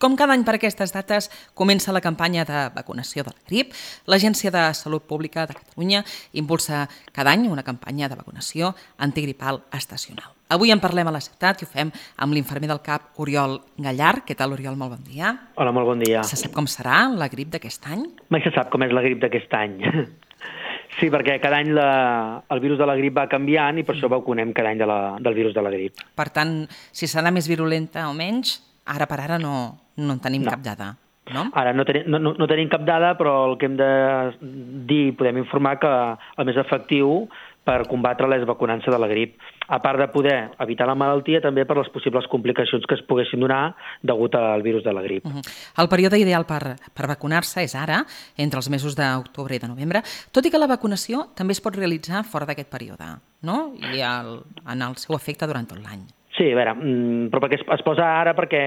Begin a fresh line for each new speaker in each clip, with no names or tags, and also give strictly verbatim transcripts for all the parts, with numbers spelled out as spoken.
Com cada any per aquestes dates comença la campanya de vacunació de la grip, l'Agència de Salut Pública de Catalunya impulsa cada any una campanya de vacunació antigripal estacional. Avui en parlem a la ciutat i ho fem amb l'infermer del C A P, Oriol Gallar. Què tal, Oriol? Molt bon dia.
Hola, molt bon dia.
Se sap com serà la grip d'aquest any?
Mai se sap com és la grip d'aquest any. Sí, perquè cada any la, el virus de la grip va canviant i per això vacunem cada any de la, del virus de la grip.
Per tant, si serà més virulenta o menys, ara per ara no, no en tenim
No.
cap dada. No?
Ara no, tenim, no, no tenim cap dada, però el que hem de dir, podem informar que el més efectiu per combatre-la és vacunant-se de la grip. A part de poder evitar la malaltia, també per les possibles complicacions que es poguessin donar degut al virus de la grip.
Uh -huh. El període ideal per, per vacunar-se és ara, entre els mesos d'octubre i de novembre, tot i que la vacunació també es pot realitzar fora d'aquest període, no? I el, en el seu efecte durant tot l'any.
Sí, a veure, mm, però perquè es, es posa ara perquè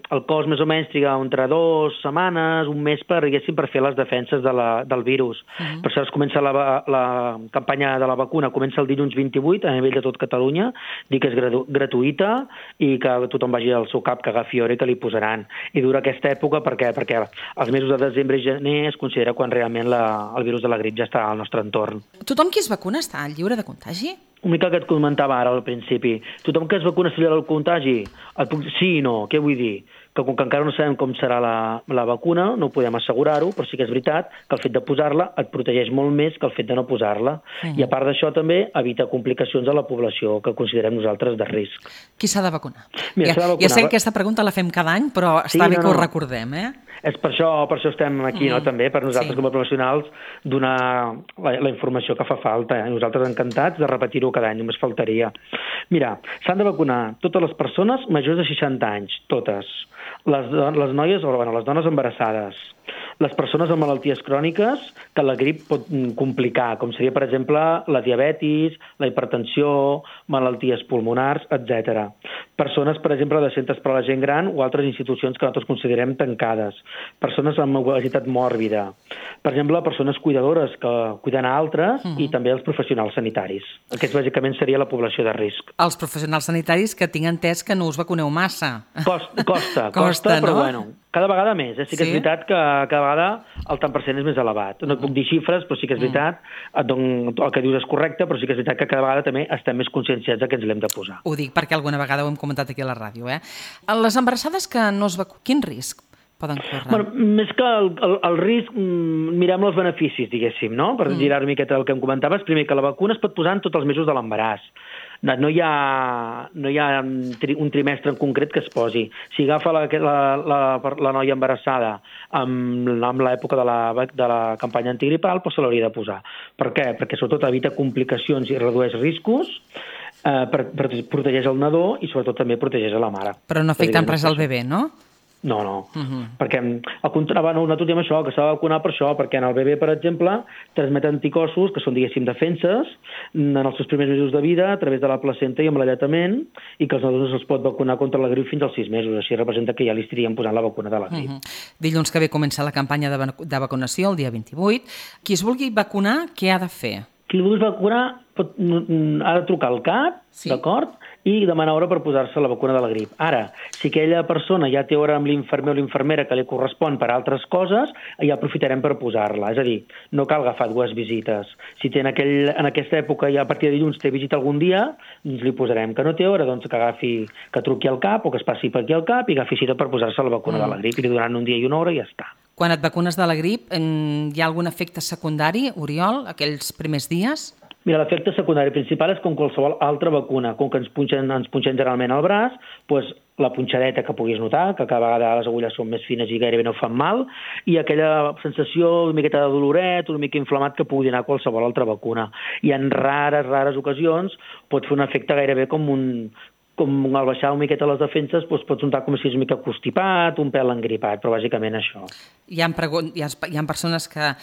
el cos més o menys triga entre dues setmanes, un mes per, diguéssim, per fer les defenses de la, del virus. Uh -huh. Per això es comença la, la campanya de la vacuna, comença el dilluns vint-i-vuit a nivell de tot Catalunya, dir que és gratu, gratuïta i que tothom vagi al seu cap, que agafi hora i que li posaran. I dura aquesta època perquè, perquè els mesos de desembre i gener es considera quan realment la, el virus de la grip ja està al nostre entorn.
Tothom qui es vacuna està lliure de contagi?
Una mica que et comentava ara al principi. Tothom que es vacuna s'ha del contagi? Et puc... Sí i no. Què vull dir? Que com que encara no sabem com serà la, la vacuna, no podem assegurar-ho, però sí que és veritat que el fet de posar-la et protegeix molt més que el fet de no posar-la. Uh-huh. I a part d'això també evita complicacions a la població que considerem nosaltres de risc.
Qui s'ha de vacunar?
Mira,
ja,
s'ha de vacunar.
Ja sé que aquesta pregunta la fem cada any, però
Sí,
està bé
no,
que ho
no.
recordem, eh?
És per això, per això estem aquí,
Mm.
no? També per nosaltres
Sí.
com a professionals donar la, la informació que fa falta. Eh? Nosaltres encantats de repetir-ho cada any, només faltaria. Mira, s'han de vacunar totes les persones majors de seixanta anys, totes. Les, les noies, o bueno, les dones embarassades, les persones amb malalties cròniques que la grip pot complicar, com seria, per exemple, la diabetis, la hipertensió, malalties pulmonars, etcètera. Persones, per exemple, de centres per a la gent gran o altres institucions que nosaltres considerem tancades. Persones amb obesitat mòrbida. Per exemple, persones cuidadores que cuiden a altres uh-huh. i també els professionals sanitaris. Aquests, bàsicament, seria la població de risc.
Els professionals sanitaris que tinc entès que no us vacuneu massa.
Costa, costa, costa,
Costa,
però
no?
bueno, cada vegada més. Eh? Sí que
Sí?
és veritat que cada vegada el tant per cent és més elevat. No et puc dir xifres, però sí que és veritat, et dono, el que dius és correcte, però sí que és veritat que cada vegada també estem més conscienciats que ens l'hem de posar.
Ho dic perquè alguna vegada ho hem comentat aquí a la ràdio, eh? Les embarassades que no es vacunen, quin risc poden córrer?
Bueno, més que el, el, el risc, mm, mirem els beneficis, diguéssim, no? Per mm. girar una miqueta el que em comentaves. Primer, que la vacuna es pot posar en tots els mesos de l'embaràs. No, no, hi ha, no hi ha un trimestre en concret que es posi. Si agafa la, la, la, la noia embarassada amb, amb l'època de la, de la campanya antigripal, doncs se l'hauria de posar. Per què? Perquè sobretot evita complicacions i redueix riscos, eh, per, per, protegeix el nadó i sobretot també protegeix a la mare.
Però no afecta en res al bebè, no?
No, no,
Uh-huh.
perquè al contrari, no, nosaltres diem això, que s'ha de vacunar per això, perquè en el bebè, per exemple, transmet anticossos, que són, diguéssim, defenses, en els seus primers mesos de vida, a través de la placenta i amb l'alletament, i que els nadons els pot vacunar contra la grip fins als sis mesos. Així representa que ja li estaríem posant la vacuna de la grip.
Uh-huh. Dilluns que ve comença la campanya de, vac- de vacunació, el dia vint-i-vuit. Qui es vulgui vacunar, què ha de fer?
Qui el vulgui vacunar pot, ha de trucar al C A P,
Sí.
d'acord?, i demanar hora per posar-se la vacuna de la grip. Ara, si aquella persona ja té hora amb l'infermer o l'infermera que li correspon per altres coses, ja aprofitarem per posar-la. És a dir, no cal agafar dues visites. Si té en, aquell, en aquesta època, ja a partir de dilluns, té visita algun dia, doncs li posarem. Que no té hora, doncs que agafi, que truqui al C A P o que es passi per aquí al C A P i agafi cita per posar-se la vacuna mm. de la grip. I li donaran un dia i una hora i ja està.
Quan et vacunes de la grip, hi ha algun efecte secundari, Oriol, aquells primers dies?
Mira, l'efecte secundari principal és com qualsevol altra vacuna. Com que ens punxen, ens punxen generalment al braç, doncs la punxadeta que puguis notar, que cada vegada les agulles són més fines i gairebé no fan mal, i aquella sensació una miqueta de doloret, una mica inflamat que pugui donar qualsevol altra vacuna. I en rares, rares ocasions pot fer un efecte gairebé com un... com al baixar una miqueta les defenses, doncs pots notar com si és una mica constipat, un pèl engripat, però bàsicament això.
Hi ha, pregun- hi ha, hi ha persones que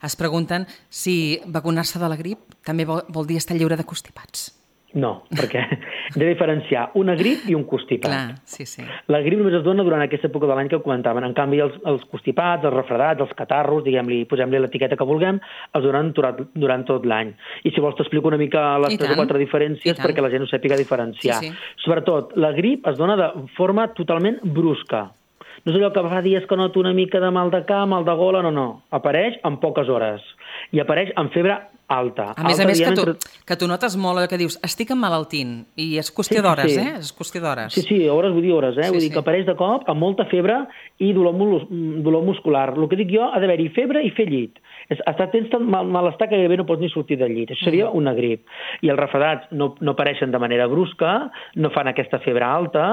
es pregunten si vacunar-se de la grip també vol, vol dir estar lliure de constipats.
No, perquè hem de diferenciar una grip i un constipat.
Clar, sí, sí.
La grip només es dona durant aquesta època de l'any que comentaven. En canvi, els, els constipats, els refredats, els catarros, diguem-li, posem-li l'etiqueta que vulguem, els donen durant, durant tot l'any. I si vols t'explico una mica les
I
tres
tant.
o quatre diferències perquè la gent ho sàpiga diferenciar.
Sí, sí.
Sobretot, la grip es dona de forma totalment brusca. No és allò que fa dies que noto una mica de mal de cap, mal de gola, no, no. Apareix en poques hores. I apareix amb febre alta.
A més
alta,
a més, que tu,
entre...
que tu notes molt allò que dius, estic emmalaltint, i és qüestió
sí,
d'hores,
sí.
eh? És qüestió d'hores.
Sí, sí, hores, vull dir hores, eh?
Sí,
vull dir
sí.
que apareix de cop amb molta febre i dolor, dolor muscular. El que dic jo, ha d'haver-hi febre i fer llit. Estar tens tant mal, malestar que gairebé no pots ni sortir del llit. Això seria una grip. I els refredats no, no apareixen de manera brusca, no fan aquesta febre alta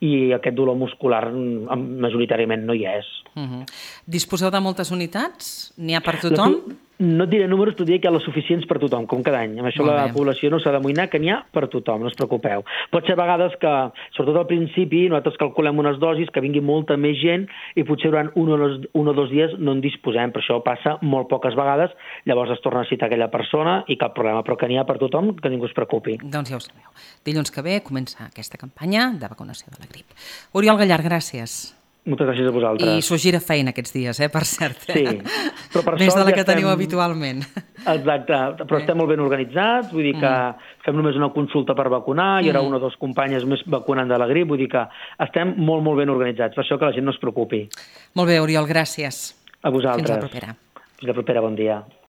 i aquest dolor muscular majoritàriament no hi és.
Uh -huh. Disposeu de moltes unitats? N'hi ha per tothom?
No et diré números, t'ho diré que hi ha les suficients per tothom, com cada any. Amb això la població no s'ha d'amoïnar, que n'hi ha per tothom, no us preocupeu. Pot ser a vegades que, sobretot al principi, nosaltres calculem unes dosis, que vingui molta més gent i potser durant un o dos, un o dos dies no en disposem, però això passa molt poques vegades, llavors es torna a citar aquella persona i cap problema, però que n'hi ha per tothom, que ningú es preocupi.
Doncs ja ho sabeu. Dilluns que ve comença aquesta campanya de vacunació de la grip. Oriol Gallar, gràcies.
Moltes gràcies a vosaltres.
I s'ho gira feina aquests dies, eh, per cert.
Sí, però per
Més
sort
de la
ja
que
estem...
teniu habitualment.
Exacte, però estem molt ben organitzats, vull dir que mm. fem només una consulta per vacunar, hi haurà mm. una o dues companyes més vacunant de la grip, vull dir que estem molt, molt ben organitzats, per això que la gent no es preocupi.
Molt bé, Oriol, gràcies.
A vosaltres.
Fins la propera.
Fins la propera, bon dia.